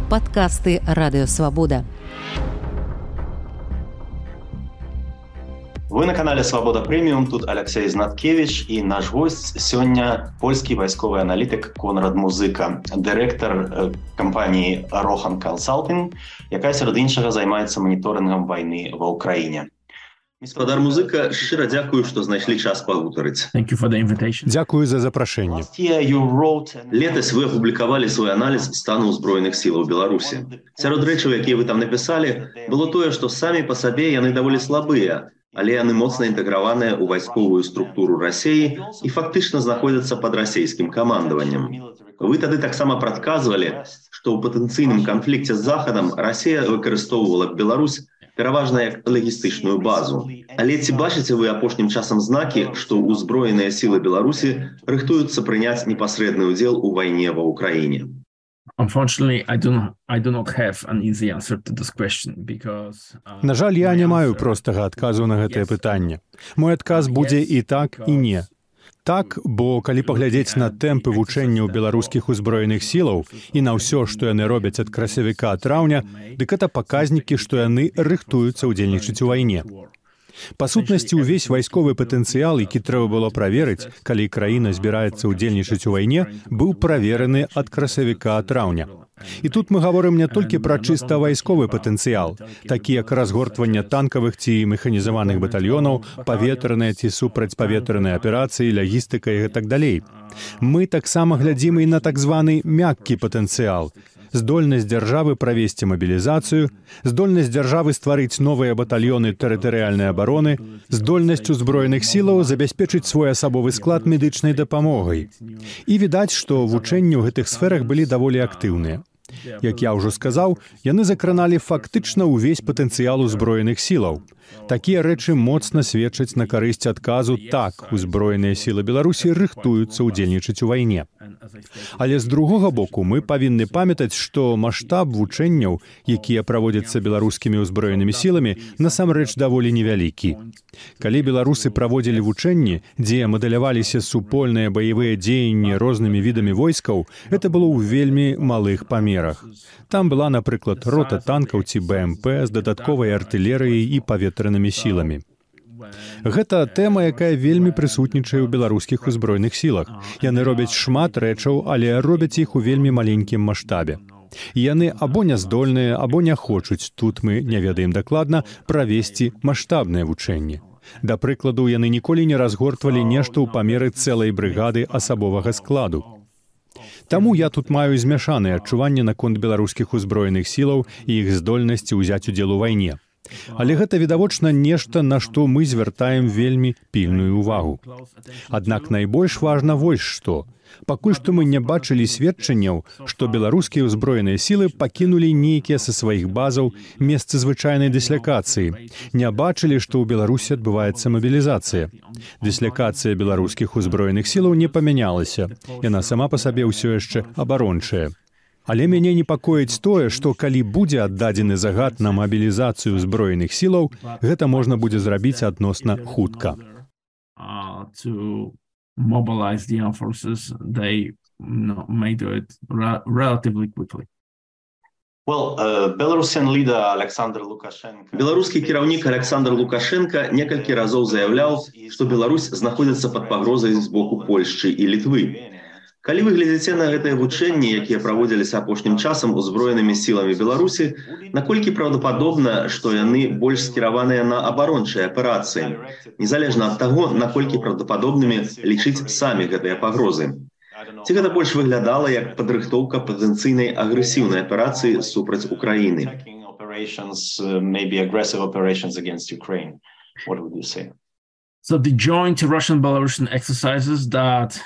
Падкасты Радыёвабода. Вы на канале «Свобода Премиум», тут Алексей Знаткевич, и наш гость сёння польскі вайсковы аналітык Конрад Музыка, дырэктар кампаніі Rohan Consulting, якая сярод іншага займаецца маніторынгам вайны ва Ўкраіне. Гаспадар Музыка, шчыра дзякую, што знайшлі час пагутарыць. Дзякую за запрашэнне. Летась вы апублікавалі свой аналіз стану ўзброеных сілаў Беларусі. Сярод рэчаў, якія вы там напісалі, было тое, што самі па сабе яны даволі слабыя, але яны моцна інтэграваныя ў вайсковую структуру Расіі і фактычна знаходзяцца пад расійскім камандаваннем. Вы тады таксама прадказвалі, што ў патэнцыйным канфлікце з Захадам Расія выкарыстоўвала Беларусь пераважна як лагістычную базу. Але ці бачыце вы апошнім часам знакі, што ўзброеныя сілы Беларусі рыхтуюцца прыняць непасрэдны ўдзел у вайне ва Ўкраіне? На жаль, я не маю простага адказу на гэтае пытанне. Мой адказ будзе і так, і не. Так, бо калі паглядзець на тэмпы вучэнняў беларускіх узброеных сілаў і на ўсё, што яны робяць ад красавіка-траўня, дык гэта паказнікі, што яны рыхтуюцца ўдзельнічаць у вайне. Па сутнасці, увесь вайсковы патэнцыял, які трэба было праверыць, калі краіна збіраецца ўдзельнічаць у вайне, быў правераны ад красавіка-траўня. І тут мы гаворым не толькі пра чыста вайсковы патэнцыял, такі як разгортванне танкавых ці механізаваных батальёнаў, паветраныя ці супрацьпаветраныя аперацыі, лагістыка і гэтак далей. Мы таксама глядзім і на так званы мяккі патэнцыял, здольнасць дзяржавы правесці мабілізацыю, здольнасць дзяржавы стварыць новыя батальёны тэрытарыяльнай абароны, здольнасць узброеных сілаў забяспечыць свой асабовы склад медычнай дапамогай. І відаць, што вучэнні ў гэтых сферах былі даволі актыўныя. Як я ўжо сказаў, яны закраналі фактычна ўвесь патэнцыял узброеных сілаў. Такія рэчы моцна сведчаць на карысць адказу «так, узброеныя сілы Беларусі рыхтуюцца ўдзельнічаць у вайне». Але з другога боку мы павінны памятаць, што маштаб вучэнняў, якія праводзяцца беларускімі ўзброенымі сіламі, насамрэч даволі невялікі. Калі беларусы праводзілі вучэнні, дзе мадэляваліся супольныя баявыя дзеянні рознымі відамі войскаў, гэта было ў вельмі малых памерах. Там была, напрыклад, рота танкаў ці БМП з дадатковай артылерыяй і паветранымі сіламі. Гэта тэма, якая вельмі прысутнічае ў беларускіх узброеных сілах. Яны робяць шмат рэчаў, але робяць іх у вельмі маленькім маштабе. Яны або няздольныя, або не хочуць, тут мы не ведаем дакладна, правесці маштабныя вучэнні. Да прыкладу, яны ніколі не разгортвалі нешта ў памеры цэлай брыгады асабовага складу. Таму я тут маю змяшаныя адчуванні наконт беларускіх узброеных сілаў і іх здольнасці ўзяць удзел у вайне. Але гэта відавочна нешта, на што мы звяртаем вельмі пільную ўвагу. Аднак найбольш важна вось што. Пакуль што мы не бачылі сведчанняў, што беларускія ўзброеныя сілы пакінулі нейкія са сваіх базаў месцы звычайнай дыслякацыі. Не бачылі, што ў Беларусі адбываецца мабілізацыя. Дыслякацыя беларускіх узброеных сілаў не памянялася. Яна сама па сабе ўсё яшчэ абарончая. Але мяне непакоіць тое, што калі будзе аддадзены загад на мабілізацыю ўзброеных сілаў, гэта можна будзе зрабіць адносна хутка. Беларускі кіраўнік Александр Лукашенко некалькі разоў заяўляў, што Беларусь знаходзіцца пад пагрозай з боку Польшчы і Літвы. Калі вы глядзіце на гэтыя вучэнні, якія праводзіліся апошнім часам узброенымі сіламі Беларусі, наколькі праўдападобна, што яны больш скіраваныя на абарончыя аперацыі, незалежна ад таго, наколькі праўдападобнымі лічыць самі гэтыя пагрозы? Ці гэта больш выглядала як падрыхтоўка патэнцыйнай агрэсіўнай аперацыі супраць Украіны? So the joint Russian-Belarusian exercises that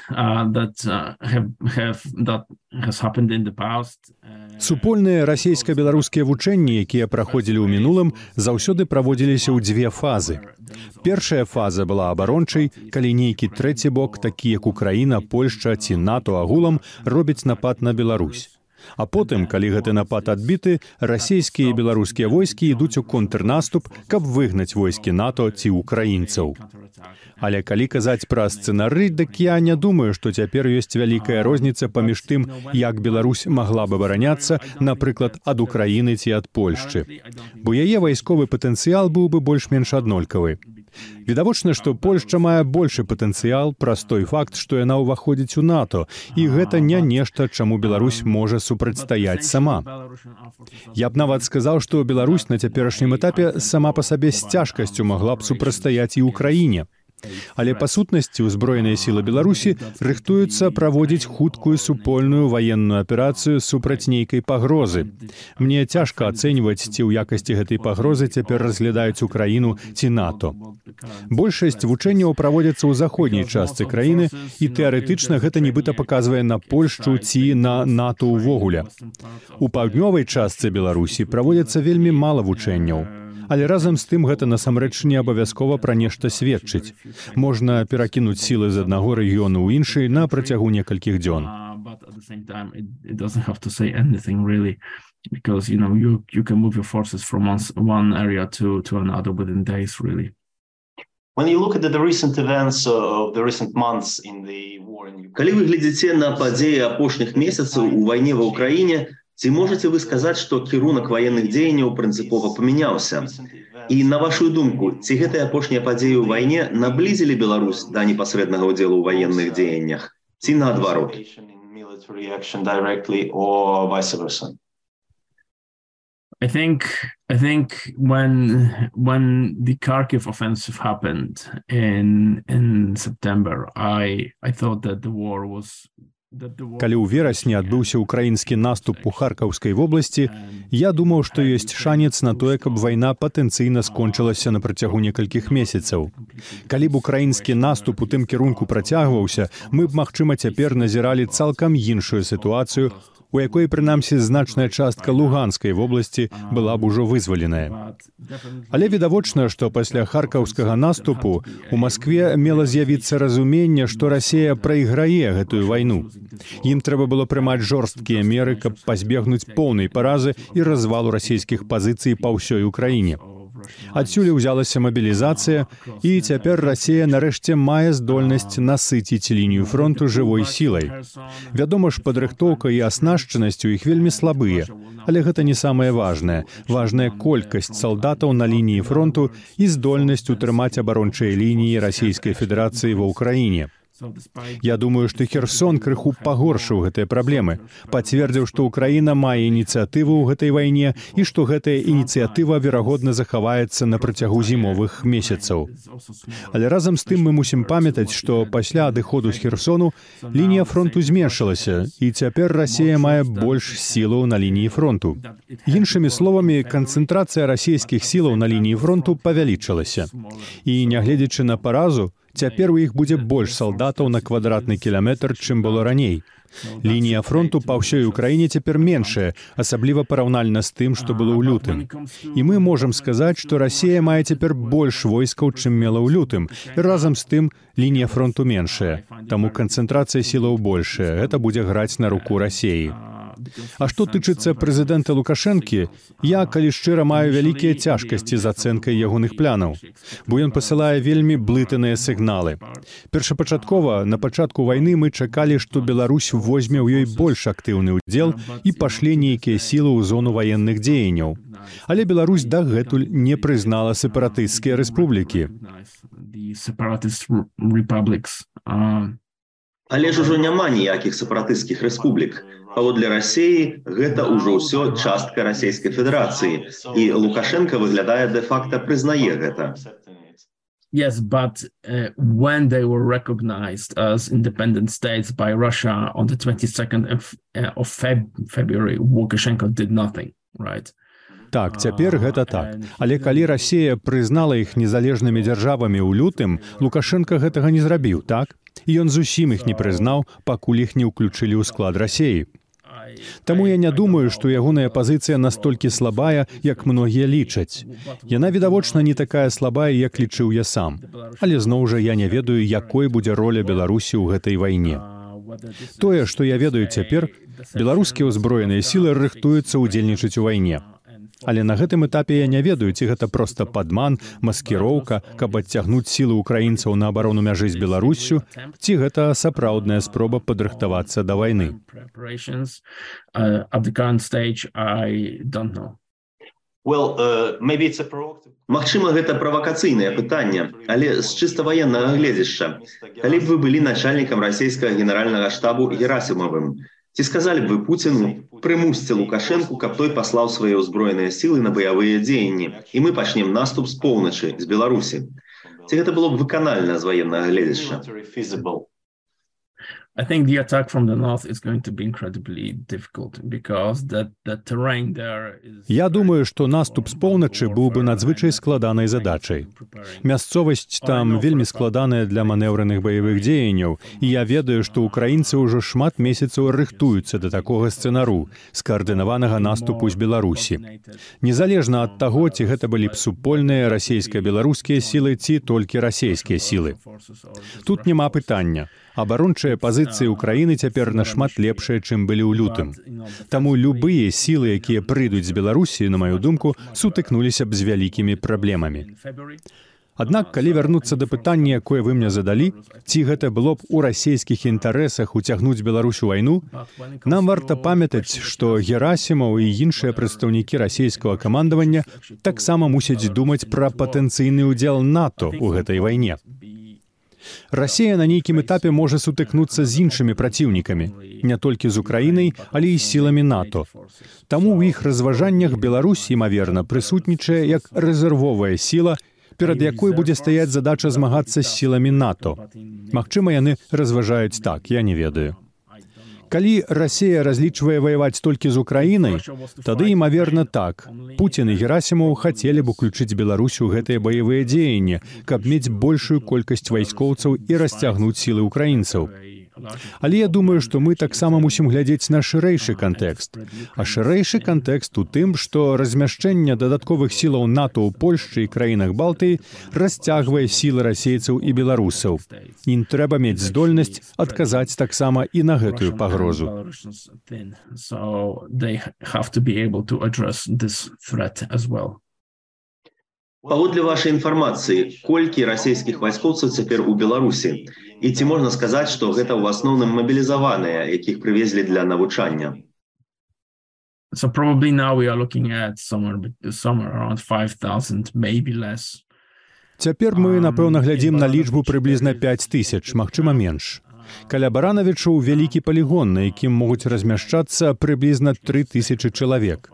has happened in the past. Супольныя расійска-беларускія вучэнні, якія праходзілі ў мінулым, заўсёды праводзіліся ў дзве фазы. Першая фаза была абарончай, калі нейкі трэці бок, такі як Украіна, Польшча ці НАТО агулам, робяць напад на Беларусь. А потым, калі гэты напад адбіты, расійскія і беларускія войскі ідуць у контрнаступ, каб выгнаць войскі НАТО ці ўкраінцаў. Але калі казаць пра сцэнары, дык я не думаю, што цяпер ёсць вялікая розніца паміж тым, як Беларусь магла б абараняцца, напрыклад, ад Украіны ці ад Польшчы. Бо яе вайсковы патэнцыял быў бы больш-менш аднолькавы. Відавочна, што Польшча мае большы патэнцыял праз той факт, што яна ўваходзіць у НАТО, і гэта не нешта, чаму Беларусь можа супрацьстаяць сама. Я б нават сказаў, што Беларусь на цяперашнім этапе сама па сабе з цяжкасцю магла б супрацьстаяць і ўкраіне. Але па сутнасці ўзброеныя сілы Беларусі рыхтуюцца праводзіць хуткую супольную ваенную аперацыю супраць нейкай пагрозы. Мне цяжка ацэньваць, ці ў якасці гэтай пагрозы цяпер разглядаюць Украіну ці НАТО. Большасць вучэнняў праводзяцца ў заходняй частцы краіны, і тэарэтычна гэта нібыта паказвае на Польшчу ці на НАТО ўвогуле. У паўднёвай частцы Беларусі праводзяцца вельмі мала вучэнняў. Але разам з тым гэта насамрэч не абавязкова пра нешта сведчыць. Можна перакінуць сілы з аднаго рэгіёну ў іншы на працягу некалькіх дзён. Калі вы глядзіце на падзеі апошніх месяцаў у вайне ва ўкраіне, ці можаце вы сказаць, што кірунак ваенных дзеянняў прынцыпова памяняўся? І на вашу думку, ці гэтыя апошнія падзеі ў вайне наблізілі Беларусь да непасрэднага ўдзелу ў ваенных дзеяннях? Ці наадварот? I think when the Kharkiv offensive happened in September, I thought that the war was... Калі ў верасні адбыўся ўкраінскі наступ у Харкаўскай вобласці, я думаў, што ёсць шанец на тое, каб вайна патэнцыйна скончылася на працягу некалькіх месяцаў. Калі б украінскі наступ у тым кірунку працягваўся, мы б, магчыма, цяпер назіралі цалкам іншую сітуацыю, у якой, прынамсі, значная частка Луганскай вобласці была б ужо вызваленая. Але відавочна, што пасля харкаўскага наступу у Маскве мела з'явіцца разуменне, што Расія прайграе гэтую вайну. Ім трэба было прымаць жорсткія меры, каб пазбегнуць поўнай паразы і развалу расійскіх пазіцый па ўсёй Украіне. Адсюль узялася мабілізацыя, і цяпер Расія нарэшце мае здольнасць насыціць лінію фронту жывой сілай. Вядома ж, падрыхтоўка і аснашчанасць у іх вельмі слабыя, але гэта не самае важнае. Важная колькасць салдатаў на лініі фронту і здольнасць утрымаць абарончыя лініі Расійскай Федэрацыі ва ўкраіне. Я думаю, што Херсон крыху пагоршыў гэтыя праблемы, пацвердзіў, што Украіна мае ініцыятыву ў гэтай вайне і што гэтая ініцыятыва, верагодна, захаваецца на працягу зімовых месяцаў. Але разам з тым мы мусім памятаць, што пасля адыходу з Херсону лінія фронту зменшылася, і цяпер Расія мае больш сілаў на лініі фронту. Іншымі словамі, канцэнтрацыя расійскіх сілаў на лініі фронту павялічылася. І, нягледзячы на паразу, цяпер у іх будзе больш салдатаў на квадратны кіламетр, чым было раней. Лінія фронту па ўсёй Украіне цяпер меншая, асабліва параўнальна з тым, што было ў лютым. І мы можам сказаць, што Расія мае цяпер больш войскаў, чым мела ў лютым. І разам з тым лінія фронту меншая. Таму канцэнтрацыя сілаў большая. Гэта будзе граць на руку Расіі. А што тычыцца прэзідэнта Лукашэнкі, я, калі шчыра, маю вялікія цяжкасці з ацэнкай ягоных планаў, бо ён пасылае вельмі блытаныя сігналы. Першапачаткова, на пачатку вайны мы чакалі, што Беларусь возьме ў ёй больш актыўны ўдзел і пашле нейкія сілы ў зону ваенных дзеянняў. Але Беларусь дагэтуль не прызнала сепаратысцкія рэспублікі. Але ж ужо няма ніякіх сепаратысцкіх рэспублік. Паводле Расіі гэта ўжо ўсё частка Расійскай Федэрацыі, і Лукашенко выглядае де-факта прызнае гэта. Yes, but when they were recognized as independent states by Russia on the 22nd of February, Lukashenko did nothing, right? Так, цяпер гэта так. Але калі Расія прызнала іх незалежнымі дзяржавамі ў лютым, Лукашенко гэтага не зрабіў, так? І ён зусім іх не прызнаў, пакуль іх не ўключылі ў склад Расіі. Таму я не думаю, што ягоная пазіцыя настолькі слабая, як многія лічаць. Яна, відавочна, не такая слабая, як лічыў я сам. Але зноў жа я не ведаю, якой будзе роля Беларусі ў гэтай вайне. Тое, што я ведаю цяпер, беларускія ўзброеныя сілы рыхтуюцца ўдзельнічаць у вайне. Але на гэтым этапе я не ведаю, ці гэта проста падман, маскіроўка, каб адцягнуць сілы ўкраінцаў на абарону мяжы з Беларуссю, ці гэта сапраўдная спроба падрыхтавацца да вайны. Магчыма, гэта правакацыйнае пытанне, але з чыста ваеннага гледзяшча. Калі б вы былі начальнікам расійскага генеральнага штабу Герасімовым, ці сказалі б вы Пуціну, прымусьце Лукашэнку, каб той паслаў свае ўзброеныя сілы на баявыя дзеянні, і мы пачнем наступ з поўначы, з Беларусі. Ці гэта было б выканальна з ваеннага гледзяшча? I think the attack from the north is going to be incredibly difficult because the terrain there is... Я думаю, што наступ з поўначы быў бы надзвычай складанай задачай. Мясцовасць там вельмі складаная для манеўраных баявых дзеянняў, і я ведаю, што ўкраінцы ўжо шмат месяцаў рыхтуюцца да такога сцэнару, скаардынаванага наступу з Беларусі. Незалежна ад таго, ці гэта былі б супольныя расійска-беларускія сілы, ці толькі расійскія сілы. Тут няма пытання. Абарончыя пазіцыі ўкраіны цяпер нашмат лепшыя, чым былі ў лютым. Таму любыя сілы, якія прыйдуць з Беларусі, на маю думку, сутыкнуліся б з вялікімі праблемамі. Аднак, калі вярнуцца да пытання, якое вы мне задалі, ці гэта было б у расійскіх інтарэсах уцягнуць Беларусь у вайну, нам варта памятаць, што Герасімаў і іншыя прадстаўнікі расійскага камандавання таксама мусяць думаць пра патэнцыйны ўдзел НАТО ў гэтай вайне. Расія на нейкім этапе можа сутыкнуцца з іншымі праціўнікамі, не толькі з Украінай, але і сіламі НАТО. Таму ў іх разважаннях Беларусь, імаверна, прысутнічае як рэзервовая сіла, перад якой будзе стаяць задача змагацца з сіламі НАТО. Магчыма, яны разважаюць так, я не ведаю. Калі Расія разлічвае ваяваць толькі з Украінай, тады, імаверна, так. Пуцін і Герасімаў хацелі б уключыць Беларусь у гэтыя баявыя дзеянні, каб мець большую колькасць вайскоўцаў і расцягнуць сілы ўкраінцаў. Але я думаю, што мы таксама мусім глядзець на шырэйшы кантэкст. А шырэйшы кантэкст у тым, што размяшчэнне дадатковых сілаў НАТО ў Польшчы і краінах Балтыі расцягвае сілы расейцаў і беларусаў. Ім трэба мець здольнасць адказаць таксама і на гэтую пагрозу. Паводле вашай інфармацыі, колькі расійскіх вайскоўцаў цяпер у Беларусі? І ці можна сказаць, што гэта ў асноўным мабілізаваныя, якіх прывезлі для навучання? So probably now we are looking at somewhere around 5,000, maybe less. Цяпер мы, напэўна, глядзім на лічбу прыблізна 5,000, магчыма, менш. Каля Баранавічаў вялікі палігон, на якім могуць размяшчацца прыблізна 3,000 чалавек.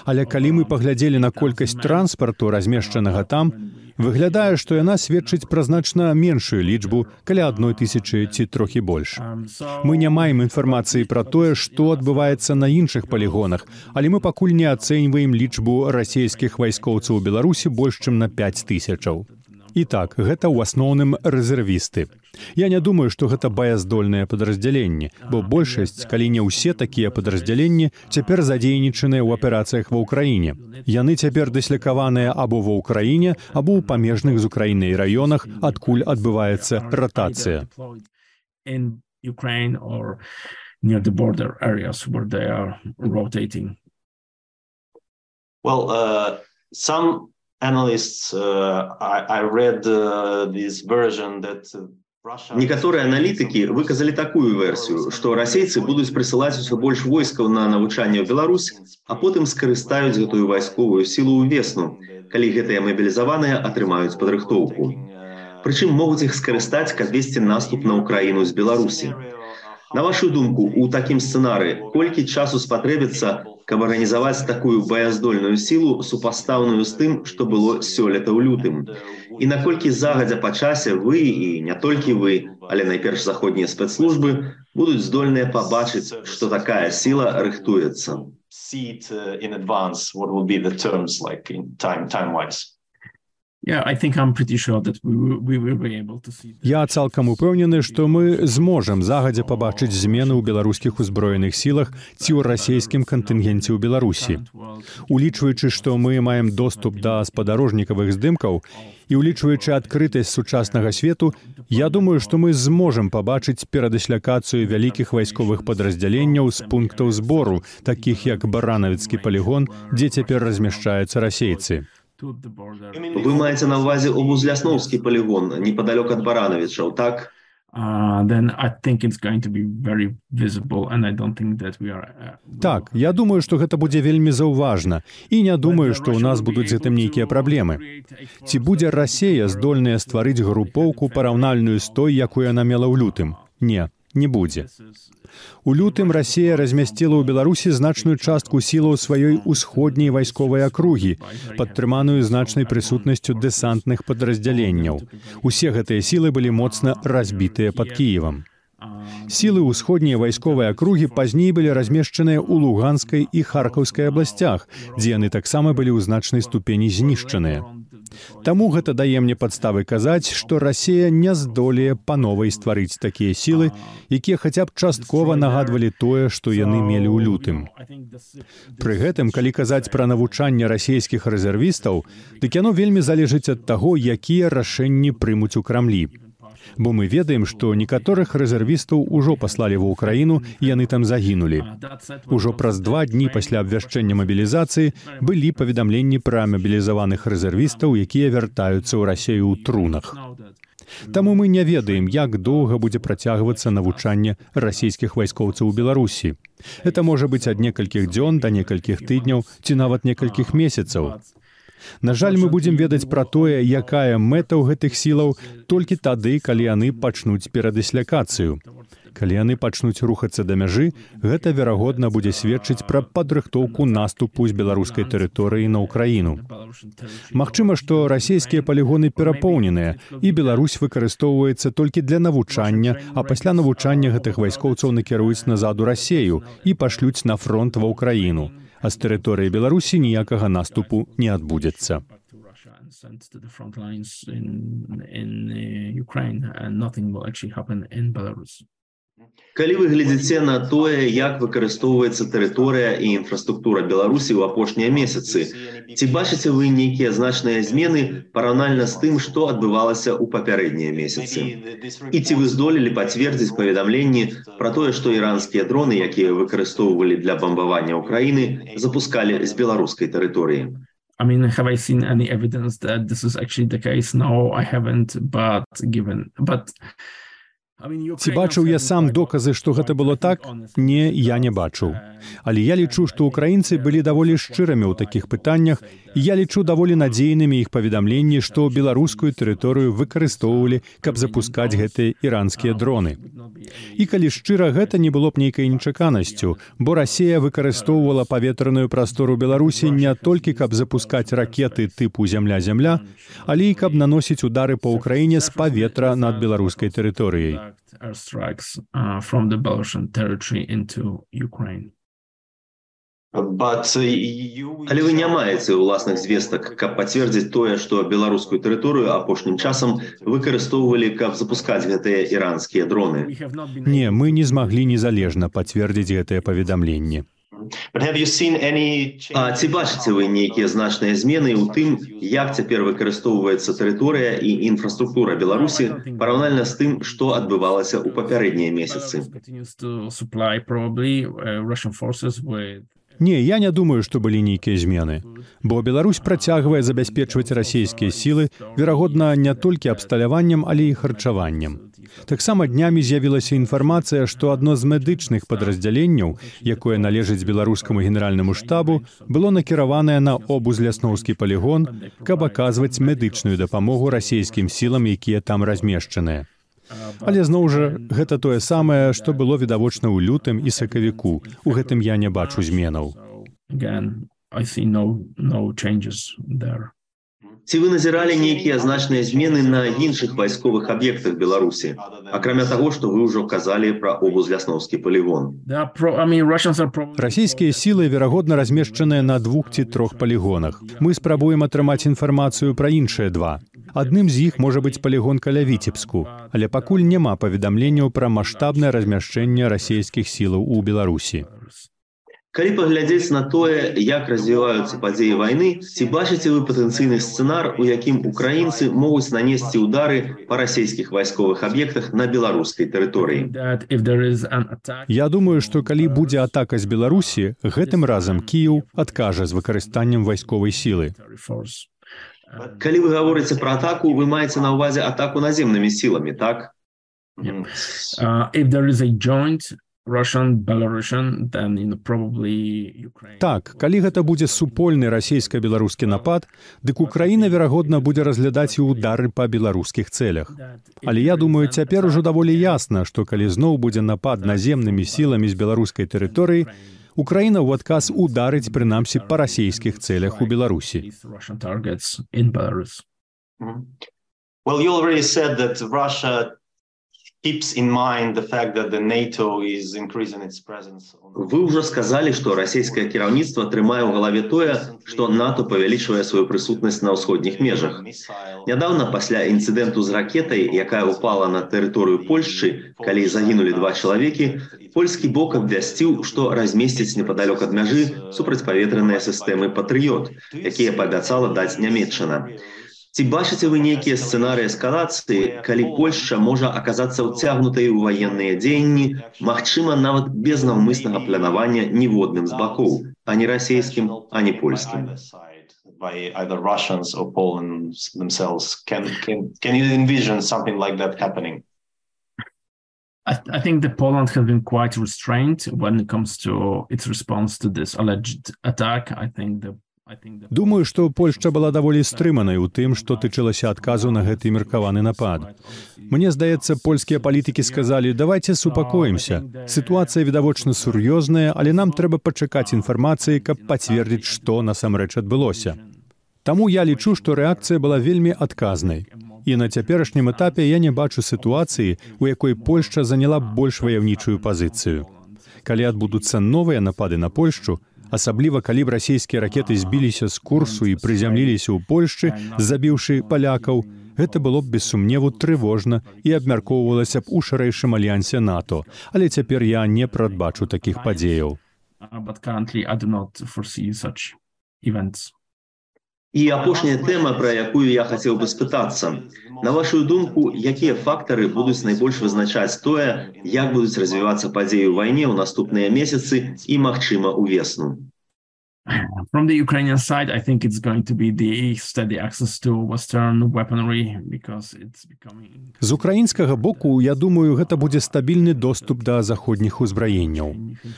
Але калі мы паглядзелі на колькасць транспарту, размешчанага там, выглядае, што яна сведчыць пра значна меншую лічбу, каля 1,000 ці трохі больш. Мы не маем інфармацыі пра тое, што адбываецца на іншых палігонах, але мы пакуль не ацэньваем лічбу расійскіх вайскоўцаў у Беларусі больш, чым на 5,000. І так, гэта ў асноўным рэзервісты. Я не думаю, што гэта баяздольныя падраздзяленні, бо большасць, калі не ўсе такія падраздзяленні, цяпер задзейнічаныя ў аперацыях ва ўкраіне. Яны цяпер дыслякаваныя або ва ўкраіне, або ў памежных з Украінай раёнах, адкуль адбываецца ратацыя. Analysts, I read this version that некаторыя аналітыкі выказалі такую версію, што расейцы будуць прысылаць усё больш войскаў на навучанне ў Беларусь, а потым скарыстаюць гэтую вайсковую сілу ў весну, калі гэтыя мабілізаваныя атрымаюць падрыхтоўку. Прычым могуць іх скарыстаць, каб весці наступ на Украіну з Беларусі. На вашу думку, у такім сцэнарыі колькі часу спатрэбіцца, каб арганізаваць такую баяздольную сілу, супастаўную з тым, што было сёлета ў лютым? І наколькі загадзя па часе вы, і не толькі вы, але найперш заходнія спецслужбы, будуць здольныя пабачыць, што такая сіла рыхтуецца? Я цалкам упэўнены, што мы зможам загадзя пабачыць змены ў беларускіх узброеных сілах ці ў расійскім кантынгенце ў Беларусі. Улічваючы, што мы маем доступ да спадарожнікавых здымкаў і улічваючы адкрытасць сучаснага свету, я думаю, што мы зможам пабачыць перадысляцыю вялікіх вайсковых падраздзяленняў з пунктаў збору, такіх як Баранавіцкі палігон, дзе цяпер размяшчаюцца расейцы. Вы маеце на ўвазе Обузлясноўскі палігон, непадалёк ад Баранавічаў, так? Так, я думаю, што гэта будзе вельмі заўважна, і не думаю, што ў нас будуць з гэтым нейкія праблемы. Ці будзе Расія здольная стварыць групоўку параўнальную з той, якую яна мела ў лютым? Не, не будзе. У лютым Расія размясціла ў Беларусі значную частку сілаў сваёй усходняй вайсковай акругі, падтрыманую значнай прысутнасцю дэсантных падраздзяленняў. Усе гэтыя сілы былі моцна разбітыя пад Кіевам. Сілы ўсходняй вайсковай акругі пазней былі размешчаныя ў Луганскай і Харкаўскай абласцях, дзе яны таксама былі ў значнай ступені знішчаныя. Таму гэта дае мне падставы казаць, што Расія не здолее па новай стварыць такія сілы, якія хаця б часткова нагадвалі тое, што яны мелі ў лютым. Пры гэтым, калі казаць пра навучанне расійскіх рэзервістаў, дык яно вельмі залежыць ад таго, якія рашэнні прымуць у Крамлі. Бо мы ведаем, што некаторых рэзервістаў ужо паслалі ва ўкраіну, і яны там загінулі. Ужо праз 2 дні пасля абвяшчэння мабілізацыі былі паведамленні пра мабілізаваных рэзервістаў, якія вяртаюцца ў Расію ў трунах. Таму мы не ведаем, як доўга будзе працягвацца навучанне расійскіх вайскоўцаў у Беларусі. Гэта можа быць ад некалькіх дзён да некалькіх тыдняў ці нават некалькіх месяцаў. На жаль, мы будзем ведаць пра тое, якая мэта ў гэтых сілаў толькі тады, калі яны пачнуць перадысляцыю. Калі яны пачнуць рухацца да мяжы, гэта, верагодна, будзе сведчыць пра падрыхтоўку наступу з беларускай тэрыторыі на ўкраіну. Магчыма, што расійскія палігоны перапоўненыя, і Беларусь выкарыстоўваецца толькі для навучання, а пасля навучання гэтых вайскоўцаў накіруюць назад у Расію і пашлюць на фронт ва ўкраіну. А з тэрыторыі Беларусі ніякага наступу не адбудзецца. Калі вы глядзіце на тое, як выкарыстоўваецца тэрыторыя і інфраструктура Беларусі ў апошнія месяцы, ці бачыце вы нейкія значныя змены параўнальна з тым, што адбывалася ў папярэднія месяцы? І ці вы здолелі пацвердзіць паведамленні пра тое, што іранскія дроны, якія выкарыстоўвалі для бамбавання ўкраіны, запускалі з беларускай тэрыторыі? Have I seen any evidence that this is actually the case? No, I haven't, but Ці бачыў я сам доказы, што гэта было так? Не, я не бачыў. Але я лічу, што ўкраінцы былі даволі шчырамі ў такіх пытаннях, і я лічу даволі надзейнымі іх паведамленні, што беларускую тэрыторыю выкарыстоўвалі, каб запускаць гэтыя іранскія дроны. І калі шчыра, гэта не было б нейкай нечаканасцю, бо Расія выкарыстоўвала паветраную прастору Беларусі не толькі каб запускаць ракеты тыпу «Зямля-Зямля», але і каб наносіць удары па ўкраіне з паветра над беларускай тэрыторыяй. Але вы не маеце ўласных звестак, каб пацвердзіць тое, што беларускую тэрыторыю апошнім часам выкарыстоўвалі, каб запускаць гэтыя іранскія дроны? Не, мы не змаглі незалежна пацвердзіць гэтыя паведамленні. А ці бачыце вы нейкія значныя змены ў тым, як цяпер выкарыстоўваецца тэрыторыя і інфраструктура Беларусі параўнальна з тым, што адбывалася ў папярэднія месяцы? Не, я не думаю, што былі нейкія змены. Бо Беларусь працягвае забяспечваць расійскія сілы, верагодна, не толькі абсталяваннем, але і харчаваннем. Таксама днямі з'явілася інфармацыя, што адно з медычных падраздзяленняў, якое належыць беларускаму генеральнаму штабу, было накіраванае на Обузлясноўскі палігон, каб аказваць медычную дапамогу расійскім сілам, якія там размешчаныя. Але, зноў жа, гэта тое самае, што было відавочна ў лютым і сакавіку. У гэтым я не бачу зменаў. Ці вы назіралі нейкія значныя змены на іншых вайсковых аб'ектах Беларусі, акрамя таго, што вы ўжо казалі пра Обузлясноўскі полігон? Расійскія сілы, верагодна, размешчаныя на 2 ці 3 полігонах. Мы спрабуем атрымаць інфармацыю пра іншыя 2. Адным з іх можа быць полігон каля Віцебску, але пакуль няма паведамленняў пра маштабнае размяшчэнне расійскіх сілаў у Беларусі. Калі паглядзець на тое, як развіваюцца падзеі вайны, ці бачыце вы патэнцыйны сцэнар, у якім украінцы могуць нанесці ўдары па расійскіх вайсковых аб'ектах на беларускай тэрыторыі? Я думаю, што калі будзе атака з Беларусі, гэтым разам Кіеў адкажа з выкарыстаннем вайсковай сілы. Калі вы гаворыце пра атаку, вы маеце на ўвазе атаку наземнымі сіламі, так? Так, калі гэта будзе супольны расійска-беларускі напад, дык Украіна, верагодна, будзе разглядаць і ўдары па беларускіх цэлях. Але я думаю, цяпер ужо даволі ясна, што калі зноў будзе напад наземнымі сіламі з беларускай тэрыторыі, Украіна ў адказ ударыць, прынамсі, па расійскіх цэлях у Беларусі. Well, you already said that Russia keeps in mind the fact that the NATO is increasing its presence. Вы ўжо сказалі, што расійскае кіраўніцтва трымае ў галаве тое, што НАТО павялічвае сваю прысутнасць на ўсходніх межах. Нядаўна, пасля інцыдэнту з ракетай, якая ўпала на тэрыторыю Польшчы, калі загінулі 2 чалавекі, польскі бок абвясціў, што размесціць непадалёк ад мяжы супрацьпаветраныя сістэмы «Патрыёт», якія паабяцала даць Нямецчына. Ці бачыце вы нейкія сцэнарыі эскалацыі, калі Польшча можа аказацца ўцягнутай у ваенныя дзеянні, магчыма, нават без наўмыснага планавання ніводным з бакоў, ані расійскім, ані польскім? By either Russians or Poland themselves. Can you envision something like that happening? I think that Poland has been quite restrained when it comes to its response to this alleged attack. Думаю, што Польшча была даволі стрыманай у тым, што тычылася адказу на гэты меркаваны напад. Мне здаецца, польскія палітыкі сказалі: давайце супакоімся. Сітуацыя відавочна сур'ёзная, але нам трэба пачакаць інфармацыі, каб пацвердзіць, што насамрэч адбылося. Таму я лічу, што рэакцыя была вельмі адказнай. І на цяперашнім этапе я не бачу сітуацыі, у якой Польшча заняла больш ваяўнічую пазіцыю. Калі адбудуцца новыя напады на Польшчу, асабліва калі б расійскія ракеты збіліся з курсу і прызямліліся ў Польшчы, забіўшы палякаў, гэта было б без сумневу трывожна і абмяркоўвалася б у шырэйшым альянсе НАТО. Але цяпер я не прадбачу такіх падзеяў. І апошняя тэма, пра якую я хацеў бы спытацца. На вашу думку, якія фактары будуць найбольш вызначаць тое, як будуць развівацца падзеі ў вайне ў наступныя месяцы і, магчыма, увесну? From the Ukrainian side, I think it's going to be the steady access to Western weaponry because it's becoming... З украінскага боку, я думаю, гэта будзе стабільны доступ да заходніх узбраенняў.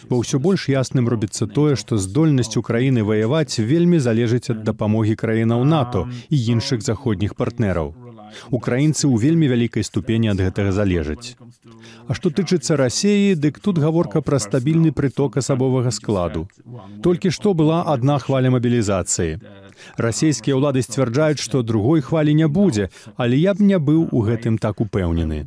Бо ўсё больш ясным робіцца тое, што здольнасць Украіны ваяваць вельмі залежыць ад дапамогі краінаў НАТО і іншых заходніх партнераў. Украінцы ў вельмі вялікай ступені ад гэтага залежаць. А што тычыцца Расіі, дык тут гаворка пра стабільны прыток асабовага складу. Толькі што была адна хваля мабілізацыі. Расійскія ўлады сцвярджаюць, што другой хвалі не будзе, але я б не быў у гэтым так упэўнены.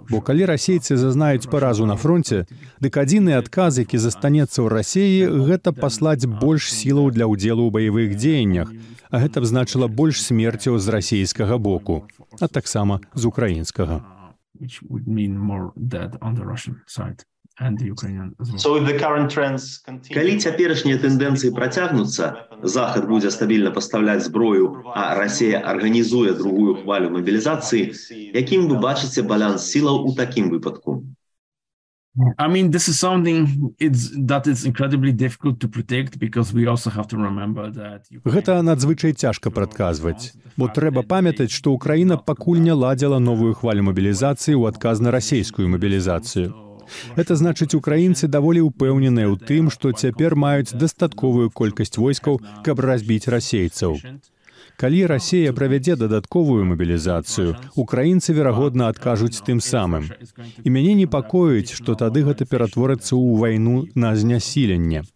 Бо калі расейцы зазнаюць паразу на фронце, дык адзіны адказ, які застанецца ў Расіі, гэта паслаць больш сілаў для ўдзелу ў баявых дзеяннях, а гэта б значыла больш смерцяў з расійскага боку, а таксама з украінскага. Калі цяперашнія тэндэнцыі працягнуцца, Захад будзе стабільна пастаўляць зброю, а Расія арганізуе другую хвалю мабілізацыі, якім вы бачыце баланс сілаў у такім выпадку? I mean, this is something that is incredibly difficult to predict because we also have to remember that... Гэта надзвычай цяжка прадказваць, бо трэба памятаць, што Украіна пакуль не ладзіла новую хвалю мабілізацыі ў адказ на расійскую мабілізацыю. Гэта значыць, украінцы даволі ўпэўненыя ў тым, што цяпер маюць дастатковую колькасць войскаў, каб разбіць расейцаў. Калі Расія правядзе дадатковую мабілізацыю, украінцы, верагодна, адкажуць тым самым. І мяне непакоіць, што тады гэта ператворыцца ў вайну на знясіленне.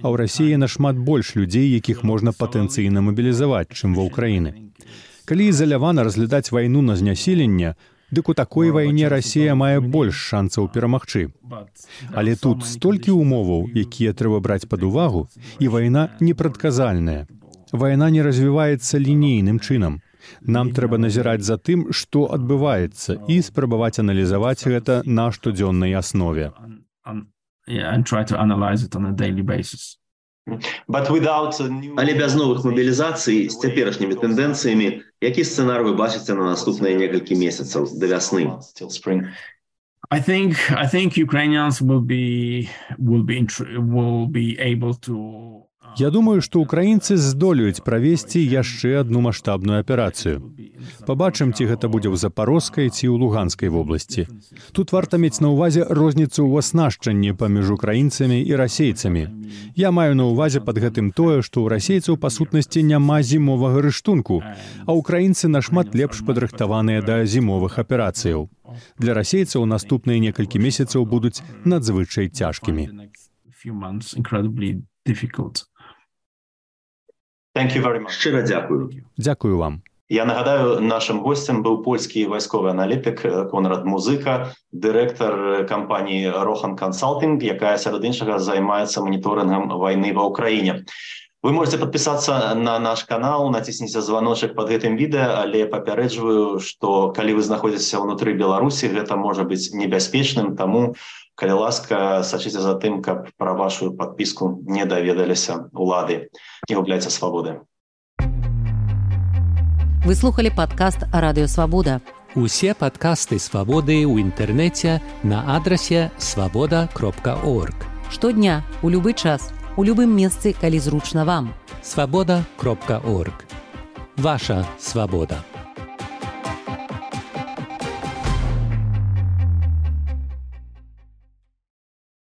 А ў Расіі нашмат больш людзей, якіх можна патэнцыйна мабілізаваць, чым ва Ўкраіны. Калі ізалявана разглядаць вайну на знясіленне, дык у такой вайне Расія мае больш шанцаў перамагчы. Але тут столькі умоваў, якія трэба браць пад увагу, і вайна непрадказальная. Вайна не развіваецца лінейным чынам. Нам трэба назіраць за тым, што адбываецца, і спрабаваць аналізаваць гэта на штодзённай аснове. Але без новых мабілізацый з цяперашнімі тэндэнцыямі, які сцэнар вы бачыце на наступныя некалькі месяцаў да вясны? I think Ukrainians will be able to. Я думаю, што ўкраінцы здолеюць правесці яшчэ адну маштабную аперацыю. Пабачым, ці гэта будзе ў Запарожскай ці ў Луганскай вобласці. Тут варта мець на ўвазе розніцу ў аснашчанні паміж украінцамі і расейцамі. Я маю на ўвазе пад гэтым тое, што ў расейцаў па сутнасці няма зімовага рыштунку, а ўкраінцы нашмат лепш падрыхтаваныя да зімовых аперацыяў. Для расейцаў наступныя некалькі месяцаў будуць надзвычай цяжкімі. Шчыра дзякую. Дзякую вам. Я нагадаю, нашим гостем быў польскі вайсковы аналітык Конрад Музыка, дырэктар кампаніі Rohan Consulting, якая сярод іншага займаецца маніторынгам вайны ва Ўкраіне. Вы можете подписаться на наш канал, натисните звоночек под гэтым відэа, але папярэджваю, што калі вы знаходзіцеся ўнутры Беларусі, гэта можа быць небяспечным, таму, калі ласка, сачыце за тым, каб пра вашу подпіску не даведаліся улады. Не губляйце свабоды. Вы слухали падкаст «Радыё Свабода». Усе падкасты «Свабоды» ў інтэрнэце на адрасе свабода.орг. Штодня, у любы час, у любым месцы, калі зручна вам. Свабода.орг. Ваша свабода.